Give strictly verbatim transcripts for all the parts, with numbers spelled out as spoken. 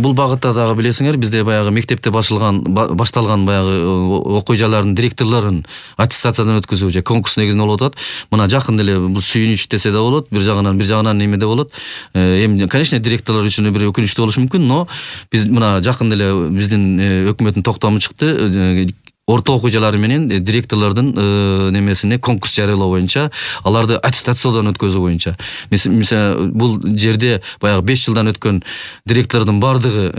бул багытта дагы билесиңер, бизде баягы мектепте башылган башталган баягы окуу жайлардын директорлорун аттестациядан өткөзүү же конкурс негизинде болуп атат. Мына жакын эле бул сүйүнүч десе да болот, бир жагынан бир жагынан неме да болот. Эми конечно директорлор үчүн бир өкүнүчтүү болушу мүмкүн, но биз мына жакын эле биздин өкмөттүн токтому чыкты. Орто окуу жайлары менен директорлордун немесине конкурс жарыялоо боюнча, аларды аттестациядан өткөзүү боюнча. Мисалы, бул жерде баягы беш жылдан өткөн директордун бардыгы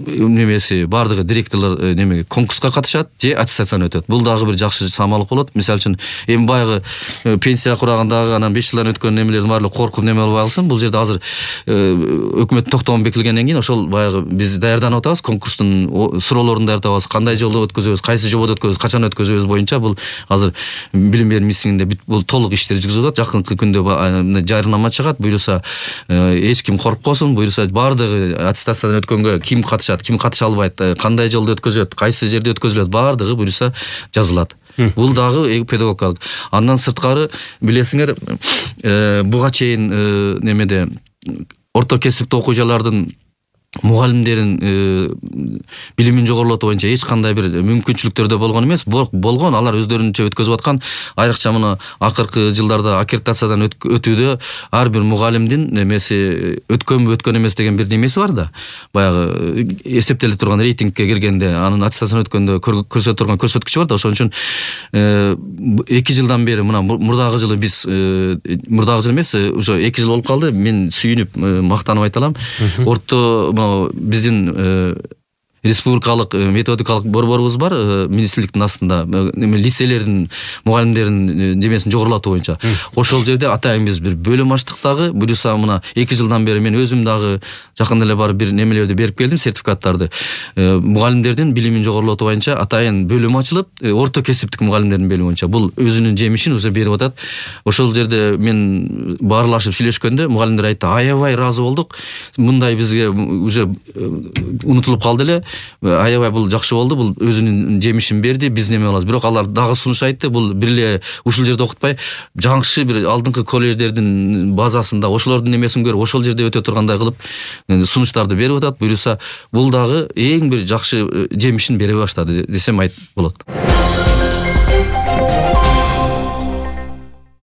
немеси, бардыгы директорлор неме конкурска катышат же аттестациядан өтөт. Бул дагы бир жакшы самалык болот. Мисалы үчүн эми баягы пенсия курагандагы анан беш жылдан өткөн немелердин баардыгы коркуп неме болбой калсын. Бул жерде азыр өкмөттүн токтому бекилгенден кийин ошол баягы биз даярданып атабыз, конкурстун суроолорун даярдабыз, кандай жолдо өткөзөбүз, кайсы жободо өткөзөбүз, качан өткөзөбүз боюнча бул азыр билим берүү министрлигинде бул толук иштер жүргүзүлүп атат. Жакынкы күндө жарнама чыгат. Буюрса эч ким коркпосун, буюрса бардыгы аттестациядан өткөнгө ким катышат, ким катыша албайт, кандай жолдо өткөзөт, кайсы жерде өткөзүлөт, бардыгы буюрса жазылат. Бул дагы педагогикалык. Андан сырткары билесиңер, буга чейин немеде орто кесиптик окуу жайлардын мугалимдерин билимин жогорулатуу боюнча эч кандай бир мүмкүнчүлүктөрдө болгон эмес, болгон. Алар өздөрүнчө өткөзүп аткан, айрыкча мына акыркы жылдарда аккредитациядан өтүүдө ар бир мугалимдин немеси өткөнбү өткөн эмес деген бир немеси бар да. Баягы эсептеле турган рейтингке киргенде, анын аттестациядан өткөндө көрсөтө турган көрсөткүчү бар да. Ошон үчүн эки жылдан бери, мына мурдагы жылы биз мурдагы жыл эмес, уже эки жыл болуп калды. Мен сүйүнүп мактанып айта алам. Орто биздин республикалык методикалык борборубуз бар, министрликтин астында, лицейлердин мугалимдерин немесин жогорулатуу боюнча. Ошол жерде атайын биз бир бөлүм ачтык дагы. Буюрса мына эки жылдан бери мен өзүм дагы жакын эле барып бир немелерди берип келдим, сертификаттарды. Мугалимдердин билимин жогорулатуу боюнча атайын бөлүм ачылып, орто кесиптик мугалимдердин бөлүмү боюнча. Бул өзүнүн жемишин уже берип атат. Ошол жерде мен баарлашып сүйлөшкөндө мугалимдер айтты: "Аябай ыраазы болдук. Мындай бизге уже унутулуп калды эле. Аябай бул жакшы болду, бул өзүнүн жемишин берди, биз неме кылабыз." Бирок алар дагы сунуш айтты, бул бир эле ушул жерде окутпай, жакшы бир алдыңкы колледждердин базасында ошолордун немесин көрүп, ошол жерде өтө тургандай кылып сунуштарды берип атат. Буюрса бул дагы эң бир жакшы жемишин бере баштады десем айт болот.